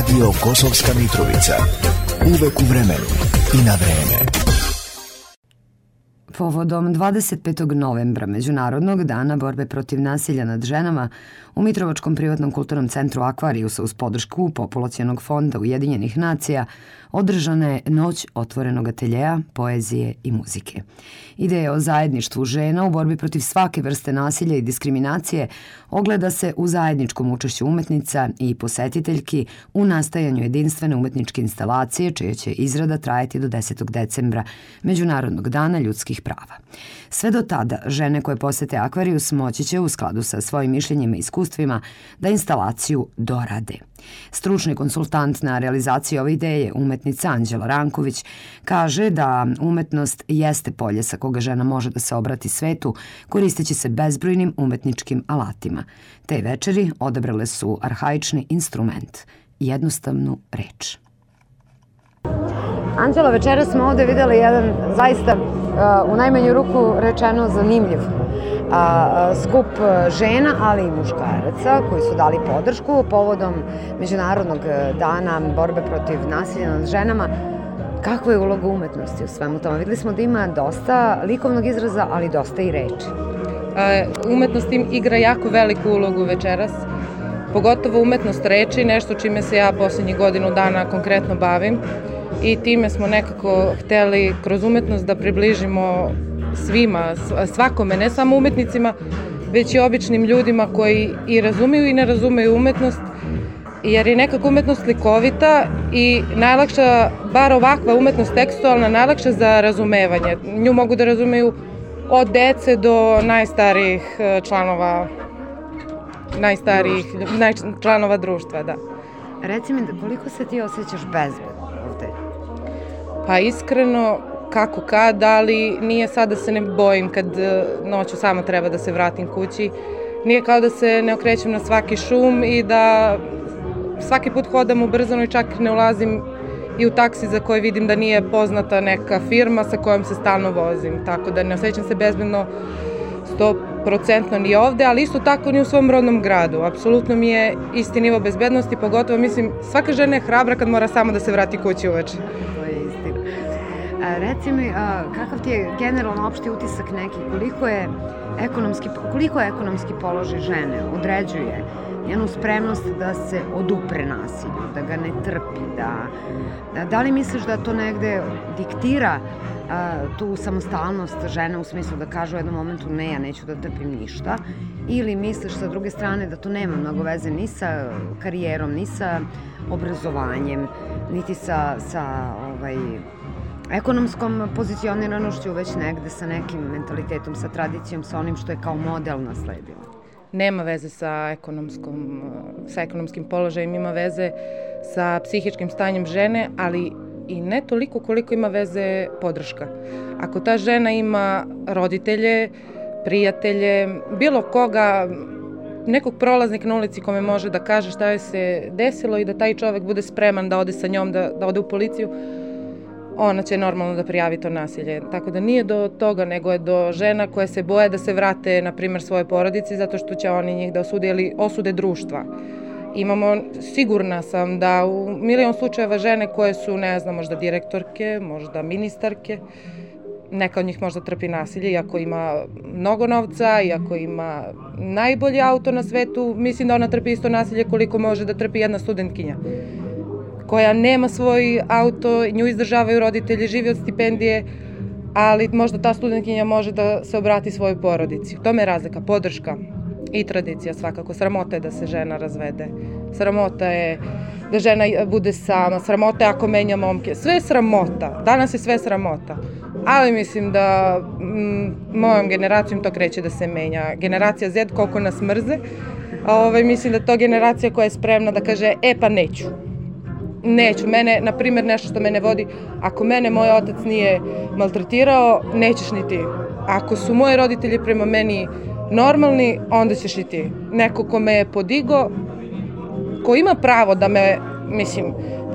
Radio Kosovska Mitrovica. Uvek u vremenu i na vreme. Povodom 25. novembra, Međunarodnog dana borbe protiv nasilja nad ženama, u Mitrovačkom privatnom kulturnom centru Akvarijusa uz podršku Populacionog fonda Ujedinjenih nacija održana je Noć otvorenog ateljeja, poezije i muzike. Ideja o zajedništvu žena u borbi protiv svake vrste nasilja i diskriminacije ogleda se u zajedničkom učešću umetnica i posetiteljki u nastajanju jedinstvene umetničke instalacije, čija će izrada trajati do 10. decembra, Međunarodnog dana ljudskih prava. Sve do tada, žene koje posete Akvarijus moći će u skladu sa svojim mišljenjima i iskustvima da instalaciju dorade. Stručni konsultant na realizaciji ove ideje, umetnica Anđela Ranković, kaže da umetnost jeste polje sa koga žena može da se obrati svetu koristeći se bezbrojnim umetničkim alatima. Te večeri odabrale su arhaični instrument, jednostavnu reč. Anđela, večeras smo ovde videli jedan zaista u najmanju ruku rečeno zanimljiv skup žena, ali i muškaraca koji su dali podršku povodom Međunarodnog dana borbe protiv nasilja nad ženama. Kakva je uloga umetnosti u svemu tome? Videli smo da ima dosta likovnog izraza, ali dosta i reči. Umetnost igra jako veliku ulogu večeras, pogotovo umetnost reči, nešto čime se ja poslednjih godinu dana konkretno bavim. I time smo nekako hteli kroz umetnost da približimo svima, svakome, ne samo umetnicima, već i običnim ljudima koji i razumeju i ne razumeju umetnost, jer je nekako umetnost likovita i najlakša, bar ovakva umetnost tekstualna, najlakša za razumevanje. Nju mogu da razumeju od dece do članova društva, da. Reci mi, koliko se ti osjećaš bezbedno ovde? Pa iskreno, kako kad, ali nije sad da se ne bojim kad noću samo treba da se vratim kući. Nije kao da se ne okrećem na svaki šum i da svaki put hodam ubrzano i čak ne ulazim i u taksi za koji vidim da nije poznata neka firma sa kojom se stalno vozim. Tako da ne osjećam se bezbedno 100% ni ovde, ali isto tako ni u svom rodnom gradu. Apsolutno mi je isti nivo bezbednosti, pogotovo mislim svaka žena je hrabra kad mora samo da se vrati kući uveče. To je istina. Reci mi, kakav ti je generalno opšti utisak neki, koliko ekonomski položaj žene određuje njenu spremnost da se odupre nasilju, da ga ne trpi, da li misliš da to negde diktira tu samostalnost žene u smislu da kažu u jednom momentu ne, ja neću da trpim ništa, ili misliš sa druge strane da to nema mnogo veze ni sa karijerom, ni sa obrazovanjem, niti sa ekonomskom pozicioniranošću, već negde sa nekim mentalitetom, sa tradicijom, sa onim što je kao model nasledilo? Nema veze sa ekonomskim položajem, ima veze sa psihičkim stanjem žene, ali i ne toliko koliko ima veze podrška. Ako ta žena ima roditelje, prijatelje, bilo koga, nekog prolaznika na ulici kome može da kaže šta joj se desilo i da taj čovek bude spreman da ode sa njom, da ode u policiju, ona će normalno da prijavi to nasilje. Tako da nije do toga, nego je do žena koje se boje da se vrate, na primjer, svoje porodici, zato što će oni njih da osude ili osude društva. Imamo, sigurna sam da u milion slučajeva žene koje su, ne znam, možda direktorke, možda ministarke, neka od njih možda trpi nasilje, iako ima mnogo novca, iako ima najbolji auto na svetu, mislim da ona trpi isto nasilje koliko može da trpi jedna studentkinja koja nema svoj auto, nju izdržavaju roditelji, živi od stipendije, ali možda ta studentkinja može da se obrati svojoj porodici. U tome je razlika, podrška i tradicija svakako. Sramota je da se žena razvede, sramota je da žena bude sama, sramota je ako menja momke, sve je sramota, danas je sve sramota. Ali mislim da mojom generacijom to kreće da se menja. Generacija Z, koliko nas mrze, mislim da je to generacija koja je spremna da kaže, pa neću. Neću, mene, na primjer, nešto što mene vodi, ako mene moj otac nije maltretirao, nećeš ni ti. Ako su moji roditelji prema meni normalni, onda ćeš i ti. Neko ko me je podigo, ko ima pravo da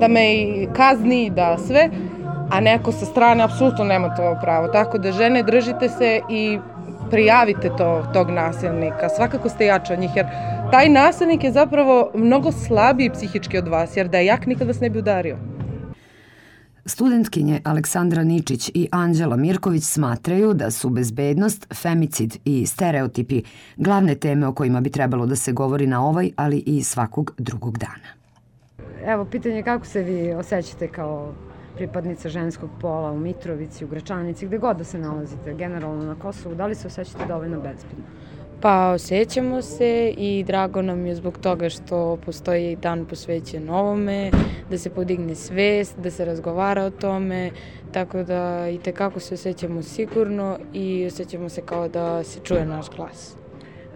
me i kazni, da sve, a neko sa strane apsolutno nema to pravo. Tako da žene, držite se i prijavite tog nasilnika. Svakako ste jače od njih, jer taj nasilnik je zapravo mnogo slabiji psihički od vas, jer da je jak nikad vas ne bi udario. Studentkinje Aleksandra Ničić i Anđela Mirković smatraju da su bezbednost, femicid i stereotipi glavne teme o kojima bi trebalo da se govori na ovaj, ali i svakog drugog dana. Evo, pitanje kako se vi osjećate kao pripadnica ženskog pola u Mitrovici, u Gračanici, gde god da se nalazite, generalno na Kosovu, da li se osjećate dovoljno bezbedno? Pa osjećamo se i drago nam je zbog toga što postoji dan posvećen ovome, da se podigne svest, da se razgovara o tome, tako da i tekako se osjećamo sigurno i osjećamo se kao da se čuje naš glas.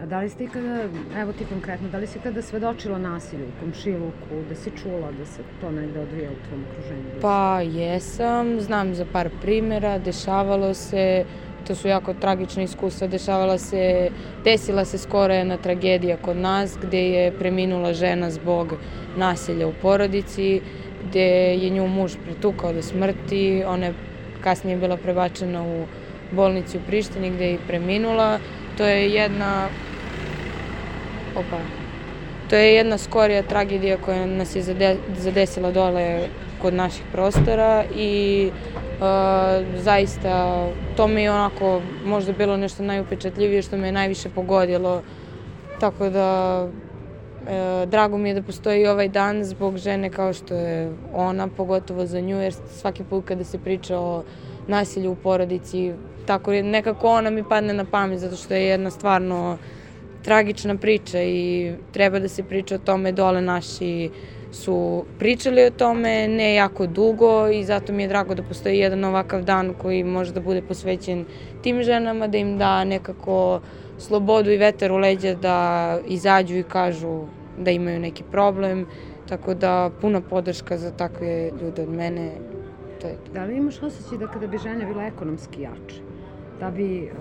A da li ste ikada, evo ti konkretno, da li si ikada svedočila nasilju u komšiluku, da si čula da se to negde odvija u tvom okruženju? Pa jesam, znam za par primjera, dešavalo se, to su jako tragične iskustva, desila se skoro jedna tragedija kod nas gde je preminula žena zbog nasilja u porodici, gde je nju muž pretukao do smrti, ona je kasnije bila prebačena u bolnicu u Prištini gde je i preminula. To je jedna skorija tragedija koja nas je zadesila dole kod naših prostora i zaista to mi je onako možda bilo nešto najupečatljivije što me je najviše pogodilo. Tako da drago mi je da postoji ovaj dan zbog žene kao što je ona, pogotovo za nju, jer svaki put kada se priča o nasilju u porodici, tako nekako ona mi padne na pamet zato što je jedna stvarno tragična priča i treba da se priča o tome. Dole naši su pričali o tome ne jako dugo i zato mi je drago da postoji jedan ovakav dan koji može da bude posvećen tim ženama, da im da nekako slobodu i vetar u leđa da izađu i kažu da imaju neki problem, tako da puna podrška za takve ljude od mene. Da li imaš osjećaj da kada bi žene bile ekonomski jače, da bi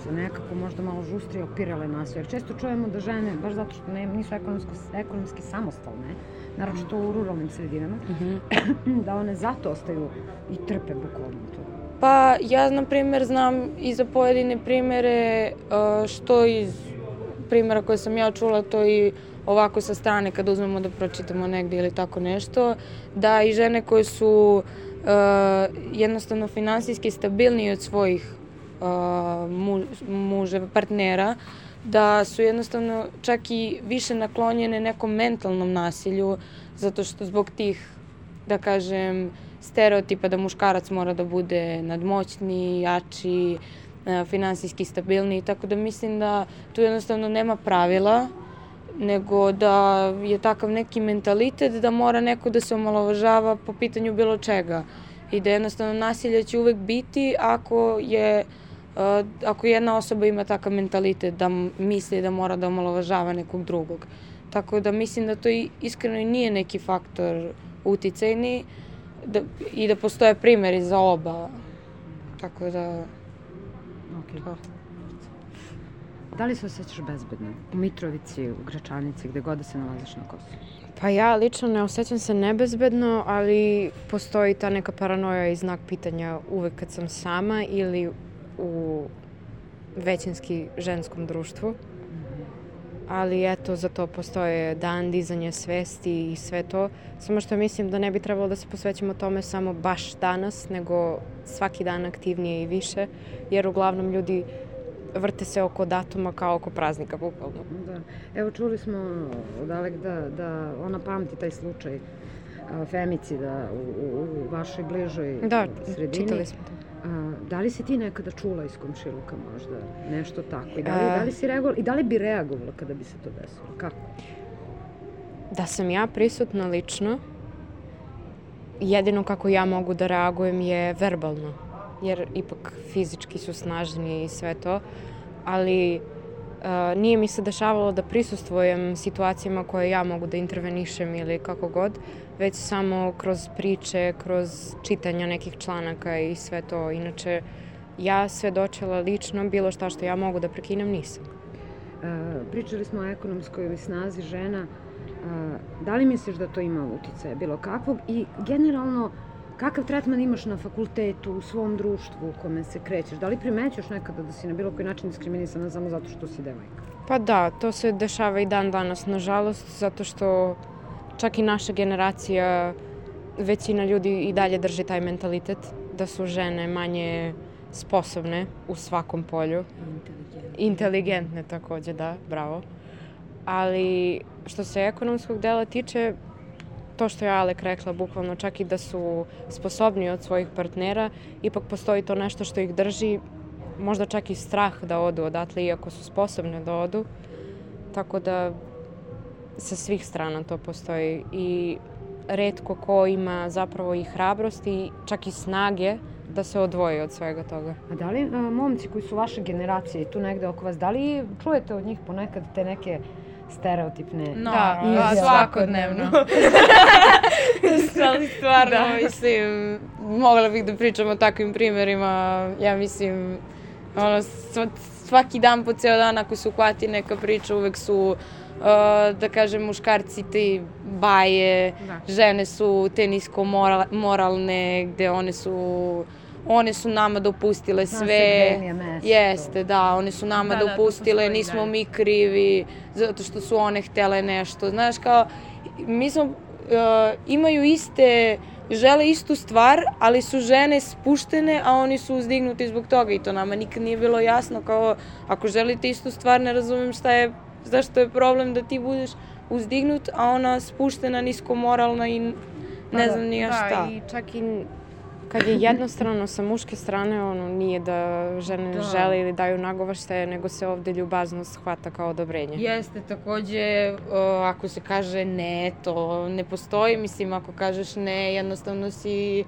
se nekako možda malo žustrije opirale nasilje? Jer često čujemo da žene, baš zato što nisu ekonomski samostalne, naročito u ruralnim sredinama, da one zato ostaju i trpe bukvalno to. Pa ja, na primjer, znam i za pojedine primjere, što iz primjera koje sam ja čula, to i ovako sa strane kad uzmemo da pročitamo negdje ili tako nešto, da i žene koje su jednostavno finansijski stabilniji od svojih muževa, partnera, da su jednostavno čak i više naklonjene nekom mentalnom nasilju, zato što zbog tih, da kažem, stereotipa da muškarac mora da bude nadmoćniji, jači, finansijski stabilniji, tako da mislim da tu jednostavno nema pravila, nego da je takav neki mentalitet da mora neko da se omalovažava po pitanju bilo čega i da jednostavno nasilje će uvek biti ako jedna osoba ima takav mentalitet da misli da mora da omalovažava nekog drugog. Tako da mislim da to iskreno i nije neki faktor uticajni i da postoje primjeri za oba. Tako da... Da li se osjećaš bezbedno u Mitrovici, u Gračanici, gde god da se nalaziš na Kosovu? Pa ja lično ne osjećam se nebezbedno, ali postoji ta neka paranoja i znak pitanja uvek kad sam sama ili u većinski ženskom društvu. Ali eto, za to postoje dan dizanja svesti i sve to. Samo što mislim da ne bi trebalo da se posvećamo tome samo baš danas, nego svaki dan aktivnije i više, jer uglavnom ljudi vrte se oko datuma kao oko praznika, bukvalno. Da. Evo, čuli smo od Alek da ona pamti taj slučaj femicida u vašoj bližoj sredini. Da, čitali smo to. Da li si ti nekada čula iz komšiluka možda nešto tako? I da li bi reagovala kada bi se to desilo? Kako? Da sam ja prisutna lično, jedino kako ja mogu da reagujem je verbalno, jer ipak fizički su snažniji i sve to, ali nije mi se dešavalo da prisustvujem situacijama koje ja mogu da intervenišem ili kako god, već samo kroz priče, kroz čitanja nekih članaka i sve to. Inače, ja svedočila lično bilo šta što ja mogu da prekinem nisam. Pričali smo o ekonomskoj snazi žena. Da li misliš da to ima uticaja bilo kakvog i generalno kakav tretman imaš na fakultetu, u svom društvu u kome se krećeš? Da li primećuješ nekada da si na bilo koji način diskriminisana samo zato što si devojka? Pa da, to se dešava i dan danas, nažalost, zato što čak i naša generacija, većina ljudi i dalje drži taj mentalitet da su žene manje sposobne u svakom polju. Inteligentne takođe, da, bravo. Ali što se ekonomskog dela tiče, to što je Alek rekla, bukvalno čak i da su sposobni od svojih partnera, ipak postoji to nešto što ih drži, možda čak i strah da odu odatle, iako su sposobne da odu. Tako da sa svih strana to postoji i retko ko ima zapravo i hrabrosti, čak i snage da se odvoji od svega toga. A da li momci koji su vaše generacije tu negde oko vas, da li čujete od njih ponekad te neke stereotipne Da, svakodnevno. Ali stvarno, mislim, mogla bih da pričam o takvim primerima. Ja mislim, svaki dan po ceo dan ako se uhvati neka priča, uvek su, da kažem, muškarci te baje, žene su te nisko moralne, gde one su nama dopustile sve. Jeste, da, one su nama dopustile, nismo mi krivi, zato što su one htele nešto. Znaš, kao, mi smo, imaju žele istu stvar, ali su žene spuštene, a oni su uzdignuti zbog toga i to nama nikad nije bilo jasno, kao, ako želite istu stvar, ne razumem zašto je problem da ti budeš uzdignut, a ona spuštena, nisko moralna i ne znam ni ja šta. Da, i čak i kad je jednostrano sa muške strane, nije da žene ne žele ili daju nagovaštaje, nego se ovde ljubaznost hvata kao odobrenje. Jeste, takođe, ako se kaže ne, to ne postoji. Mislim, ako kažeš ne, jednostavno si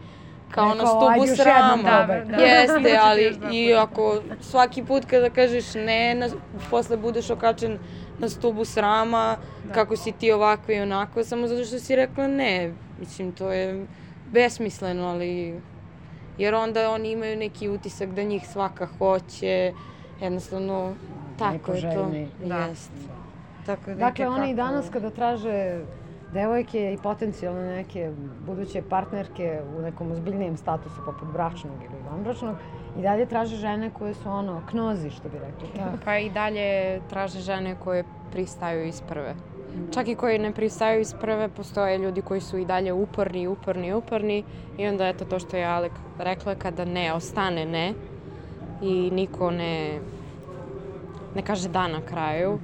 kao na stubu srama. Jeste, ali i ako svaki put kada kažeš ne, posle budeš okačen na stubu srama, kako si ti ovako i onako, samo zato što si rekla ne. Mislim, to je besmisleno, ali jer onda oni imaju neki utisak da njih svaka hoće, jednostavno tako je to. Dakle, oni i danas kada traže devojke i potencijalne neke buduće partnerke u nekom ozbiljnijem statusu poput bračnog ili vanbračnog, i dalje traže žene koje su knozi, što bi rekli. Pa i dalje traže žene koje pristaju iz prve. Čak i koji ne pristaju iz prve, postoje ljudi koji su i dalje uporni i onda eto to što je Alek rekla, kada ne ostane ne i niko ne kaže da na kraju,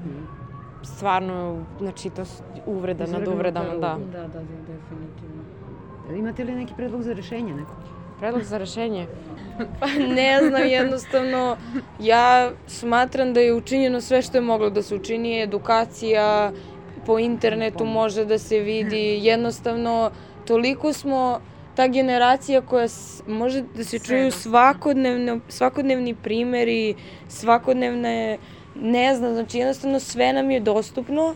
stvarno, znači to uvreda nad uvredama, da. Da, definitivno. Imate li neki predlog za rešenje neko? Predlog za rešenje? Pa ne znam, jednostavno, ja smatram da je učinjeno sve što je moglo da se učini, edukacija, po internetu može da se vidi, jednostavno, toliko smo ta generacija koja može da se čuju svakodnevni primeri, svakodnevne, ne znam, znači jednostavno sve nam je dostupno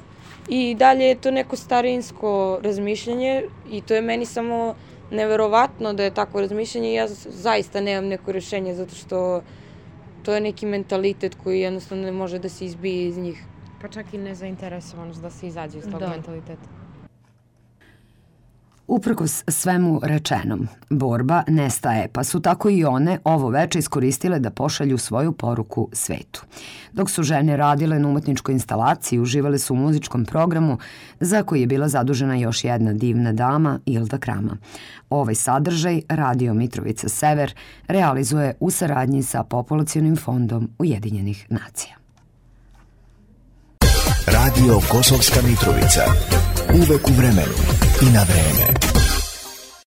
i dalje je to neko starinsko razmišljanje i to je meni samo neverovatno da je takvo razmišljanje i ja zaista nemam neko rešenje zato što to je neki mentalitet koji jednostavno ne može da se izbije iz njih. Pa čak i nezainteresovanost da se izađe iz tog mentaliteta. Uprkos svemu rečenom, borba ne staje, pa su tako i one ovo veče iskoristile da pošalju svoju poruku svetu. Dok su žene radile na umetničkoj instalaciji, uživale su u muzičkom programu za koji je bila zadužena još jedna divna dama, Ilda Krama. Ovaj sadržaj Radio Mitrovica Sever realizuje u saradnji sa Populacionim fondom Ujedinjenih nacija. Radio Kosovska Mitrovica. Uvek u vremenu i na vreme.